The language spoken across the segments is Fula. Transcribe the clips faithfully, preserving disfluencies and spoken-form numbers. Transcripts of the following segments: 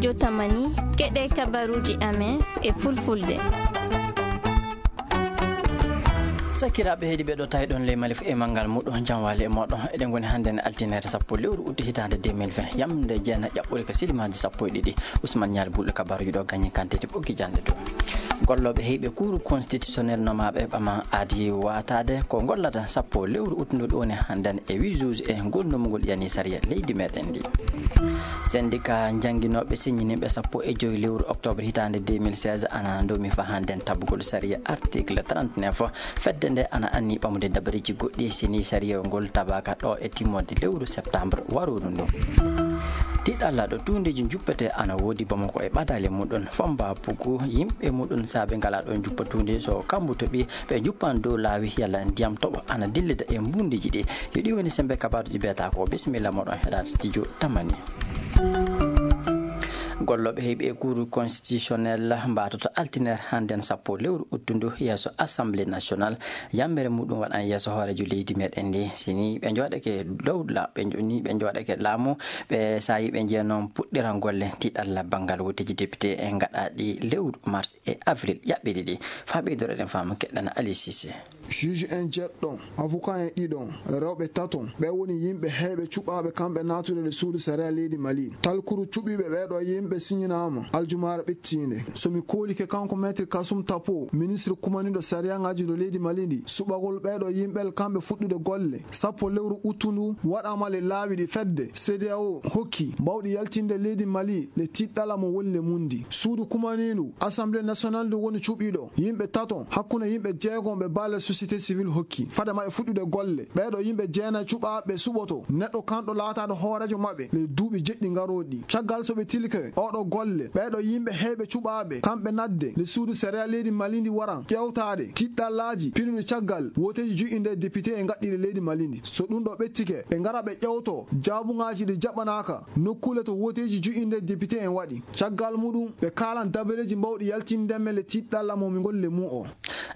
Jotamani, keɗe kabaruuji amen e fulfulde. Sakiraaɓe heedi ɓe ɗo tawi ɗon ley Mali fu e manngal muɗum, jam waali e mooɗon. Eɗen ngoni hannde ne altine sappo lewru uti hitaande deux mille vingt, yamde jeena ƴaɓɓuri ka silimaaji sappo e ɗiɗi. Ousmane Ñaali Bulɗo kabaaruuji ɗo gañi kantiti ɓoggi jannde dow. Gollooɓe heyɓe kuuru constitutionnel nomaaɓe ɓama aadi waataade ko gollata sappo lewru uttundu ɗo ne hannde e huit juge e ngol nomugol yani sariya leydi meɗen ndi. Syndicat jannginooɓe siññiniiɓe sappo e joyi lewru octobre hitaande deux mille seize ana ndomi fa hannde tabugol sariya article trente-neuf. Fedde nde ana anni ɓamude dabareeji goɗɗi sini sariya ngol tabaka ɗo e timmoode lewru septembre waruru ndu. Tiɗalla ɗo tuundeeji juppete ana woodi Bamako e ɓadaale muɗum. Fomba Puku, yimɓe muɗum saabe ngala ɗo juppa tuunde so kambu toɓi, ɓe juppan dow laawi yalla ndiyam toɓo ana dillida e mbunndiji ɗi. Yo ɗi woni sembe kabaaruji beeta ko. Bisimilla moɗon heɗaade studio Tamani. Gollooɓe heyɓe e cour constitutionnel mbaatoto altiner hannden sappo lewru uttundu yeeso Assemblée nationale. Yambere muɗum waɗan yeeso hooreejo leydi meɗen ndi. Sini ɓe jooɗake dow la-, ɓe jo-, ni ɓe jooɗake laamu, ɓe saayi ɓe jeeya noon puɗɗiran golle tiɗalla banngal woteeji député e ngaɗaaɗi lewru mars e avril ƴaɓɓiɗi ɗi. Faa ɓeydoro eɗen faama keɗɗana Ali Cissé. Juge en jeɗɗo, avocat en ɗiɗo, rewɓe tato, ɓe woni yimɓe heyɓe cuɓaaɓe kamɓe naatude e suudu sariya leydi Mali. Talkuru cuɓiiɓe ɓeeɗo yimɓe siñinaama aljumaare ɓittiinde. So mi koolike kanko Maître Kasum Tapo, ministre kumaniiɗo sariyaŋaaji to leydi Mali ndi, suɓagol ɓeeɗo yimɓe kamɓe fuɗɗude golle sappo lewru uttundu waɗaama le laawi ɗi fedde C D A O hokki bawɗi yaltinde leydi Mali le tiɗɗala mo woni le mum ndi. Suudu kumaniindu Assemblée nationale ndu woni cuɓiiɗo yimɓe tato hakkunde yimɓe jeego ɓe baale société civile hokki fade maɓɓe fuɗɗude golle. Ɓeeɗo yimɓe jeenayi cuɓaaɓe suɓoto neɗɗo kanɗo laataade hooreejo maɓɓe le duuɓi jeɗɗi ngarooɗi. Caggal so ɓe tilike oɗo golle, ɓeeɗo yimɓe heyɓe cuɓaaɓe kamɓe nadde le suudu sariya leydi Mali ndi waran ƴeewtaade tiɗɗallaaji pinuɗi caggal woteeji juɗɗi nde député e ngaɗɗiiɗe leydi Mali ndi. So ɗum ɗo ɓettike, ɓe ngara ɓe ƴeewto jaabuŋaaji ɗi jaɓanaaka nokkuule to woteeji juɗɗi nde député en waɗi. Caggal muɗum, ɓe kaalan dabareeji mbawɗi yaltinde men le tiɗɗalla mo mi ngol le mum o.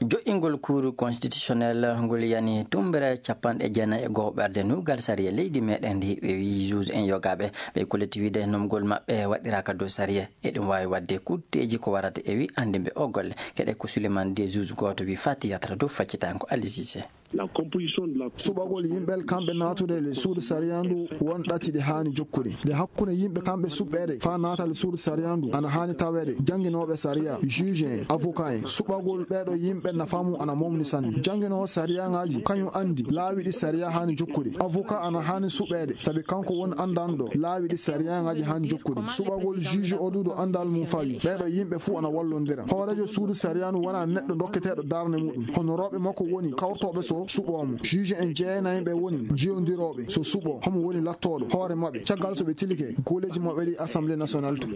Joƴƴingol Cour constitutionnel ngol yani tummbere capanɗe jeenayi e go'o ɓerde nuugal sariya leydi meɗen ndi, ɓe wii juge en yogaaɓe ɓe koliti wiide nomgol maɓɓe waɗiraaka dow sariya. Eɗum waawi waɗde kutteeji ko warata e wi anndinɓe o golle. Keɗe ko Souleymane Dié, juge gooto, wi faa tiyatra dow faccitango Ali Cissé. La composition de la Suɓagol yimɓe kamɓe naatude le suudu sariya ndu won ɗati ɗe haani jokkude. Nde hakkunde yimɓe kamɓe suɓɓeede faa naata le suudu sariya ndu ana haani taweede jannginooɓe sariya, juge en, avocat en. Suɓagol ɓeeɗo yimɓe nafa mum ana mawni sanne. Jannginoowo sariyaŋaaji kañum anndi laawi ɗi sariya haani jokkude. Avocat ana haani suɓeede sabi kanko woni anndanɗo laawi ɗi sariyaŋaaji haani jokkude. Suɓagol juge o ɗuuɗo anndal mum fawi. Ɓeeɗo yimɓe fuu ana wallondira. Hooreejo suudu sariya ndu wonaa neɗɗo dokketeeɗo darnde muɗum. Honorooɓe makko woni kawrotooɓe so suɓoo mo. Juge en jeenayi ɓe woni jiyondirooɓe so suɓoo homo woni lattooɗo hoore maɓɓe. Caggal so ɓe tilike golleeji maɓɓe ɗi Assemblée nationale to.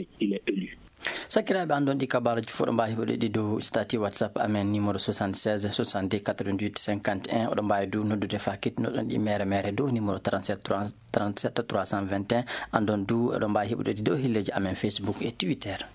Sakiraaɓe, anndon ɗi kabaaruuji fof ɗo mbaawi heɓude ɗi dow statut WhatsApp amen numéro soixante-seize soixante-deux quatre-vingt-huit cinquante et un. Oɗo mbaawi du noddude faa kettunoɗon ɗi mere mere dow numéro trente-sept trois, trente-sept trois cent vingt et un. Anndon du oɗo mbaawi heɓude ɗi dow helleeji amen Facebook e Twitter.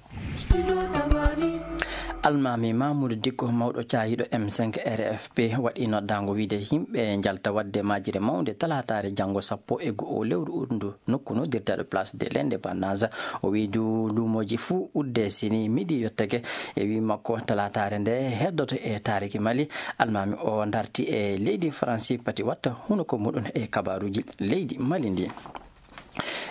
Almaami Mamoudou Dicko, mawɗo caayiiɗo M cinq R F P, waɗi noddaango wiide yimɓe njalta waɗde majire mawnde talaataare janngo sappo e go'o lewru uɗndu nokku noddirteeɗo Place de l'Indépendance. O wii du luumooji fuu udde sini midi yottake. E wii makko, talaataare nde heddoto e taariki Mali. Almaami o darti e leydi Faransi pati watta hunuko muɗum e kabaaruuji leydi Mali ndi.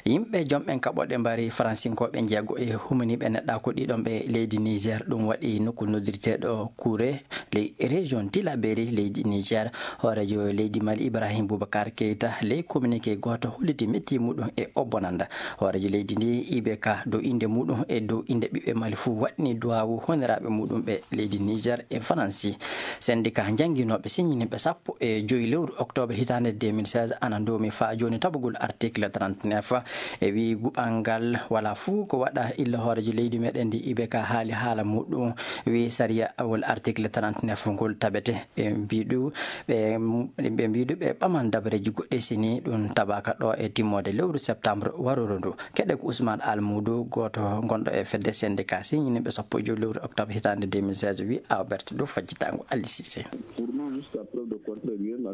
Yimɓe jomɓen kaɓooɗe mbari Faransinkooɓe njeego e humaniiɓe neɗɗaaku ɗiɗon ɓe leydi Niger. Ɗum waɗi nokku noddirteeɗo Kure ley région Tillabéri leydi Niger. Hooreejo leydi Mali Ibrahim Boubacar Keita ley communiqué gooto holliti metti muɗum e o bonanda. Hooreejo leydi ndi I B K dow innde muɗum e dow innde ɓiɓɓe Mali fuu waɗni duwaawu honiraaɓe muɗum ɓe leydi Niger e Faransi. Syndicat jannginooɓe siññiniiɓe sappo e joyi lewru octobre hitaande deux mille seize ana ndoomi faa jooni tabugol article trente-neuf. E wii guɓal ngal wala fuu ko waɗa illa hooreejo leydi meɗen ndi I B K haali haala muɗum, wii sariya wol article trente-neuf ngol tabete. Ɓe mbii du, ɓe, ɓe mbii du ɓe ɓaman dabareeji goɗɗi sini ɗum tabaka ɗo e timmoode lewru septembre waruru ndu. Keɗe ko Ousmane Almoudou, gooto gonɗo e fedde syndicat siññiniiɓe sappo e joyi lewru octobre hitaande deux mille seize, wii Albert dow fajjitaango Ali Cissé.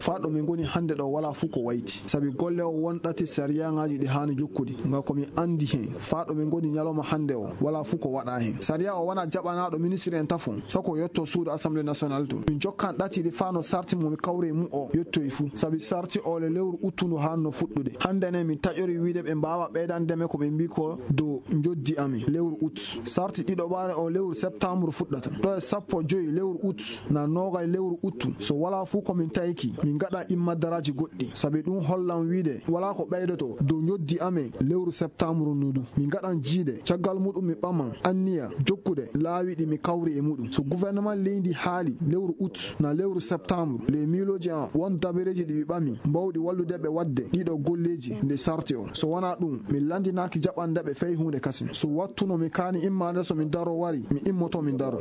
Faa ɗo min ngoni hannde ɗo, walaa fuu ko wayti. Sabi golle o won ɗati sariyaŋaaji ɗi haani jokkude. Ngam ko min anndi heen, faa ɗo min ngoni ñalawma hannde o, walaa fuu ko waɗaa heen. Sariya o wonaa jaɓanaaɗo ministiri en tafon, sako yotto suudu Assemblée nationale to. Min jokkan ɗati ɗi faa no sarti mo mi kawre e mu o yottoyi fuu. Sabi sarti o le lewru uttu ndu haanno fuɗɗude. Hannde ne min taƴori wiide ɓe mbaawa ɓeydande men ko ɓe mbii ko dow njoddi amin lewru ut. Sarti ɗiɗo ɓaare o lewru septembre fuɗɗata. Ɗo e sappo joy lewru ut, na noogay lewru uttu. So walaa fuu ko min tayki, min ngaɗa imma daraaji goɗɗi. Sabi ɗum hollan wiide walaa ko ɓeydoto dow njoddi amin lewru septembre ndu. Min ngaɗan jiide, caggal muɗum mi ɓaman anniya jokkude laawi ɗi mi kawri e muɗum. So gouvernement leydi haali lewru ut na lewru septembre, les miilooji an won dabareeji ɗi mi ɓami, mbawɗi wallude ɓe waɗde ɗiɗo golleeji nde sarti o. So wonaa ɗum, mi lanndinaaki jaɓande ɓe fey huunde kasin. So wattu no mi kaani immaade, so mi daro wari, mi immoto mi daro.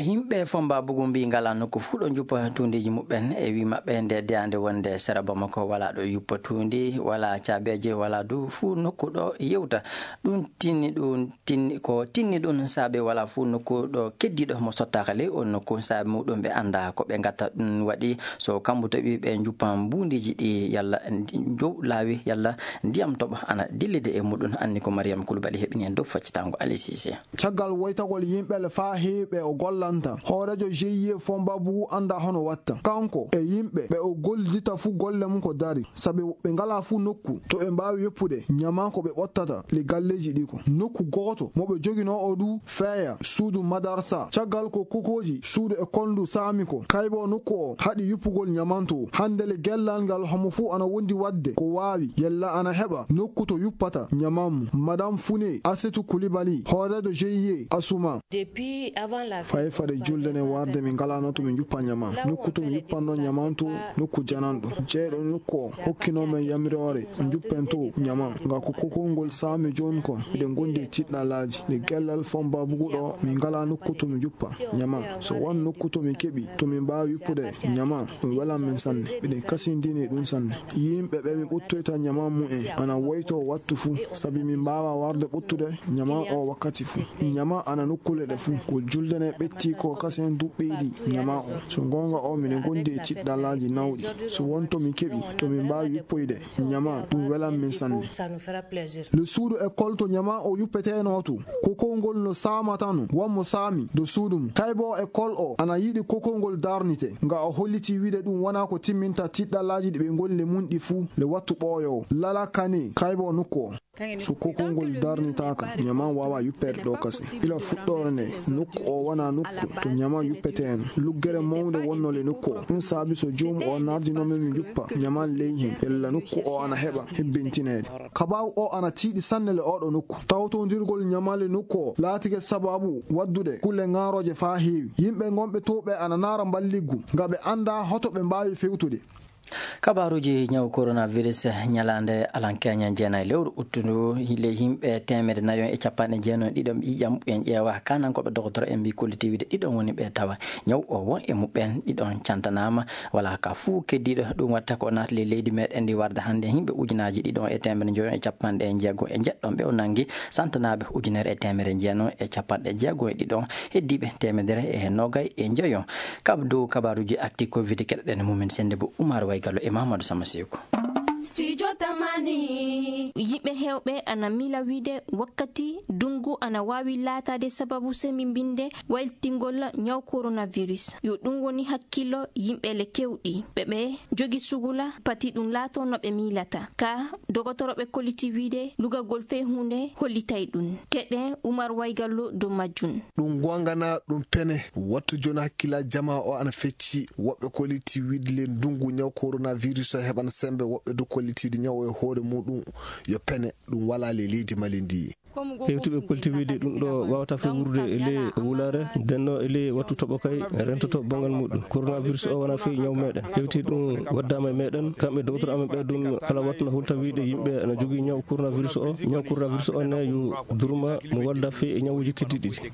Yimɓe Fomba Bugu mbii ngalaa nokku fuu ɗo njuppa tuundiiji muɓɓen. E wii maɓɓe, nde deyaande wonde sera Bamako walaa ɗo yuppa tuundi, walaa caabeeje, walaa du fuu nokku ɗo yewta. Ɗum tinni, ɗum tinni, ko tinni ɗum saabe walaa fuu nokku ɗo keddiiɗo mo sottaaka ley on nokku. Saabe muɗum ɓe anndaa ko ɓe ngatta. Ɗum waɗi so kambu toɓi ɓe njuppan mbuundiiji ɗi yalla ndi-, njow laawi yalla ndiyam toɓa ana dillide e muɗum. Anni ko Mariam Koulibaly heɓini en dow faccitango Ali Cissé. Caggal woytagol yimɓe le faa heewi ɓe o gollanta, hooreejo G I E Fomba Bugu anndaa hono watta. Kanko e yimɓe ɓe o gollidita fuu golle mum ko dari, sabi ɓe ngalaa fuu nokku to ɓe mbaawi yoppude ñaman ko ɓe ɓottata le galleeji ɗi ko. Nokku gooto mo ɓe joginoo o du feeya suudu madarsa. Caggal ko kokooji suudu e kolndu saami ko, kaybo nokku o haɗi yuppugol ñaman to. Hannde le gellal ngal homo fuu ana wondi waɗde ko waawi yalla ana heɓa nokku to yuppata ñaman mum. Madame Fune Asetu Koulibaly, hooreejo G I E Asuma. Depuis avant la Fay fade julde ne warde min ngalano to min juppa ñama. Nokku to min juppanno ñaman to, nokku jananɗo. Jeeɗo nokku o hokkino men yamiroore, juppen to ñaman. Nga ko kokol ngol saami jooni kon, miɗen gondi e tiɗɗalaaji. Nde gellal Fomba Bugu ɗo, min ngala nokku to min juppa ñaman. So won nokku to min keɓi, to min mbaawi yuppude ñaman, ɗum welan men sanne. Miɗen kasindini e ɗum sanne. Yimɓe ɓe min ɓuttoyta ñaman mumen, ana woyto wattu fuu, sabi min mbaawa warde ɓuttude ñaman o wakkati fuu. Ñama ana nokkuule ɗe fuu. Ko julde ne ɓetti ko kasen duɓɓi ɗi ñama o. So goonga o, miɗen gondi e tiɗɗalaaji nawɗi. So won to min keɓi, to min mbaawi yuppoyde ñama, ɗum welan min sanne. Le suudu école to ñama o yuppeteno to. Kokol ngol no saama tan, won mo saami do suudu mum. Kaybo école o ana yiɗi kokol ngol darnite. Nga o holliti wiide ɗum wona ko timminta tiɗɗalaaji ɗi ɓe ngoni le mum ɗi fuu, le wattu ɓooyowo. Lala kane, kaybo nokku o. So kokol ngol darnitaaka, ñaman waawa yuppeede ɗo kasen. Ila fuɗɗoore nde, nokku o wona nokku to ñaman yuppeteeno. Luggere mawnde wonno le nokku o. Ɗum saabi so joomu o nardino men mi juppa ñaman ley hen, ella nokku o ana heɓa hebbintineede. Kabaaru o ana tiiɗi sanne le oɗo nokku. Tawtondirgol ñaman le nokku o laatike sababu waddude kulle ŋaarooje faa heewi. Yimɓe ngonɓe to ɓe ana naara mballiggu, nga ɓe annda hoto ɓe mbaawi fewtude. Kabaaruuji ñaw coronavirus, ñalaande alankeña jeenayi lewru uttundu, le yimɓe teemedde nayo e capanɗe jeenayi ɗiɗo ɓiƴam en ƴeewa. Kanankooɓe dokotoro en mbii kolliti wiide ɗiɗon woni ɓe tawa ñaw o won e muɓɓen ɗiɗon cantanaama. Walaa ka fuu keddiiɗo ɗum watta ko naati le leydi meɗen ndi warde hannde yimɓe ujunaaji ɗiɗon e teemedde njoyo e capanɗe jeego e jeɗɗon ɓe o nangi, santanaaɓe ujunere e teemedde jeenayi e capanɗe jeego e ɗiɗon, heddiiɓe teemedere e nogay e njoyo. Kab dow kabaaruuji akti covid keɗoɗen mumen sende bo Umar Waygallo e Mamadou Sama Seko. Studio Tamani. Yimɓe heewɓe ana miila wiide wakkati dungu ana waawi laataade sababu sembimbinde waytingol ñaw coronavirus. Yo ɗum woni hakkillo yimɓe le kewɗi. Ɓe ɓe jogi sugula pati ɗum laato no ɓe miilata. Ka dogotoroɓe kolliti wiide lugagol fey huunde hollitay ɗum. Keɗe Umar Waygallo dow majjum. Ɗum goonga na ɗum pene? Wattu jooni hakkillaaji jamaa o ana fecci. Woɓɓe kolliti wiide le ndungu ñaw coronavirus o heɓan sembe. Woɓɓe du kolliti wiide ñaw o e hoore muɗum yo pene. Ɗum walaa le leydi Mali ndi. Hewtuɓe kolliti wiide ɗum ɗo waawata fewrude e ley wulaare, ndenno e ley wattu toɓo kay rentoto banngal muɗum. Coronavirus o wona fii ñaw meɗen. Hewti ɗum waddaama e meɗen, kamɓe doktor amen ɓe ɗum kala wattu no hulta wiide yimɓe ana jogii ñaw coronavirus o. Ñaw coronavirus o ne yo durma mo walda fii e ñawuuji keddiiɗi ɗi.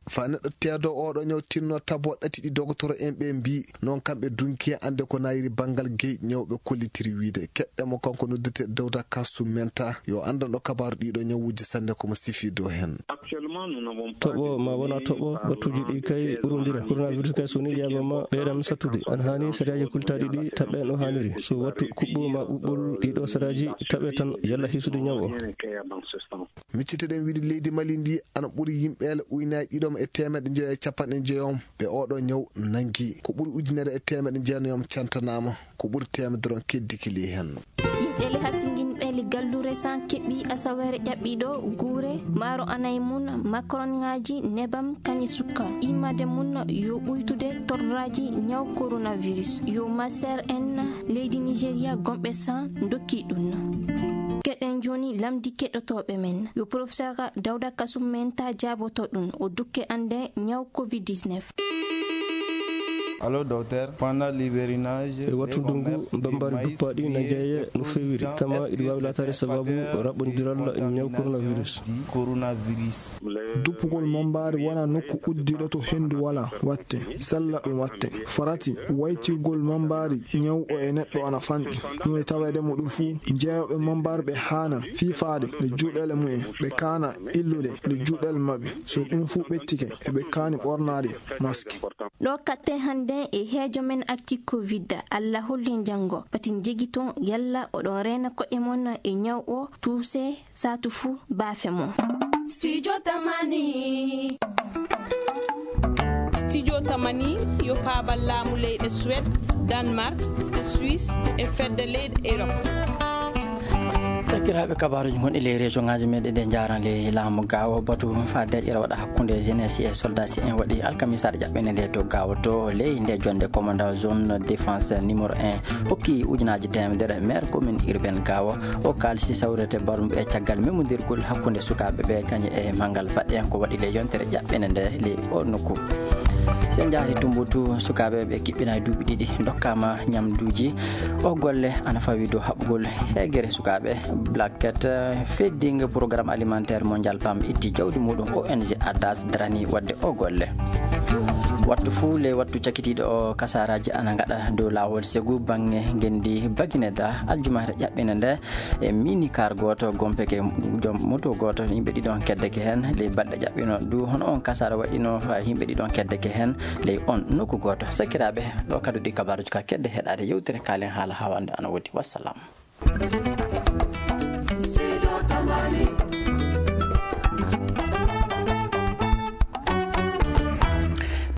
Faa neɗɗo teedo oɗo ñaw tinno tabo ɗati ɗi doktor en ɓe mbii, noon kamɓe dunki e annde ko nayiri banngal gey ñawɓe kollitiri wiide. Keɗɗe mo kanko noddete Dawda Kassu Menta, yo anndanɗo kabaaru ɗiɗo ñawuuji sanne. Omo sifii dow heen. Toɓo ma wona toɓo, wattuuji ɗi kay ɓurondira. Coronavirus kay so woni ƴeeɓama, ɓeydan sattude. Ana haani sariyaaji kultaaɗi ɗi taɓɓe no haaniri. So wattu kuɓɓo ma ɓuɓɓol ɗiɗo sariyaaji taɓe tan, yalla hisude ñaw o. Miccitoɗen wiide leydi Mali ndi ana ɓuri yimɓeele uynaaji ɗiɗom e teemeɗe njoyo e capanɗe njoyom ɓe oɗo ñaw nanngi. Ko ɓuri ujunere e teemeɗe jeenayom cantanaama. Ko ɓuri teemedere on keddiki ley heen. Yimɓe le hasinginɓe le gallu resan keɓi asawere ƴaɓɓiɗo guure maaro anay mun, makronŋaaji, nebam, kañi sukkar. Immade mun yo ɓuytude torraaji ñaw coronavirus. Yo maser en leydi Nigeria gomɓe san dokki ɗum. Keɗen jooni lamdi keɗotooɓe men. Yo professeur Dawda Kasum men ta jaaboto ɗum. O dukke ande ñaw covid dix-neuf. Allo, docteur, pendant l'hivernage, e wattu ndungu, mbambaari duppaaɗi na jeeye no feewiri. Tama iɗi waawi laataade sababu raɓɓondiral ñaw coronavirus. Duppugol mambaari wona nokku uddiɗo to henndu wala watte, sella ɗum watte. Farati waytigol mambaari ñaw o e neɗɗo ana fanɗi. Ɗum e taweede mo ɗum fuu, jeeyooɓe mambaari ɓe haana fiifaade e juuɗeele mumen, ɓe kaana illude e juuɗeele maɓɓe. So ɗum fuu ɓettike, eɓe kaani ɓornaade mask. Ɗo katte hannde e heejo men acti covid. Allah holli janngo. Pati njegiton yalla oɗon reena koɗe mon e ñaw o, tuuse saatu fuu baafe mo. Studio Tamani. Studio Tamani yo paabal laamu leyɗe Suède, Danemark, Suisse e fedde leyɗe Europe. Sakiraaɓe, kabaaruuji gonɗi ley région ŋaaji meɗen ɗe njaran ley laamu gaawo. Batu faa deeƴere waɗa hakkunde jeunesse e soldat si en waɗi alkamisaare ƴaɓɓende nde to gaawo to ley nde jonde commandant zone défense numéro un hokki ujunaaji teemedere maire commune urbaine gaawo. O kaalisi sawrete barumɓe e caggal memondirgol hakkunde sukaaɓe ɓe kañum e manngal baɗɗe ko waɗi ley yontere ƴaɓɓende nde ley o nokku. Si en njaari Tumbutu, sukaaɓe ɓe kiɓɓinaa duuɓi ɗiɗi ndokkaama ñamduuji. O golle ana fawi dow haɓugol heegere sukaaɓe. Black Cat, eh, feddinga programme alimentaire mondial pam itti jawdi muɗum. O N G Adas darani wadde o golle. Wattu fuu ley wattu cakitiiɗo o, kasaaraaji ana ngaɗa dow laawol segu baŋŋe ngenndi Bagineda aljumaare ƴaɓɓinde nde. E mini car gooto gompeke joom moto gooto, yimɓe ɗiɗon keddeke heen ley balɗe ƴaɓɓino du. Hono on kasaara waɗino, ha yimɓe ɗiɗon keddeke heen ley on nokku gooto. Sakiraaɓe, ɗo kadi ɗi kabaaruuji ka kedde heɗaade yewtere kaalen haala hawande ana wodi. Wassalam.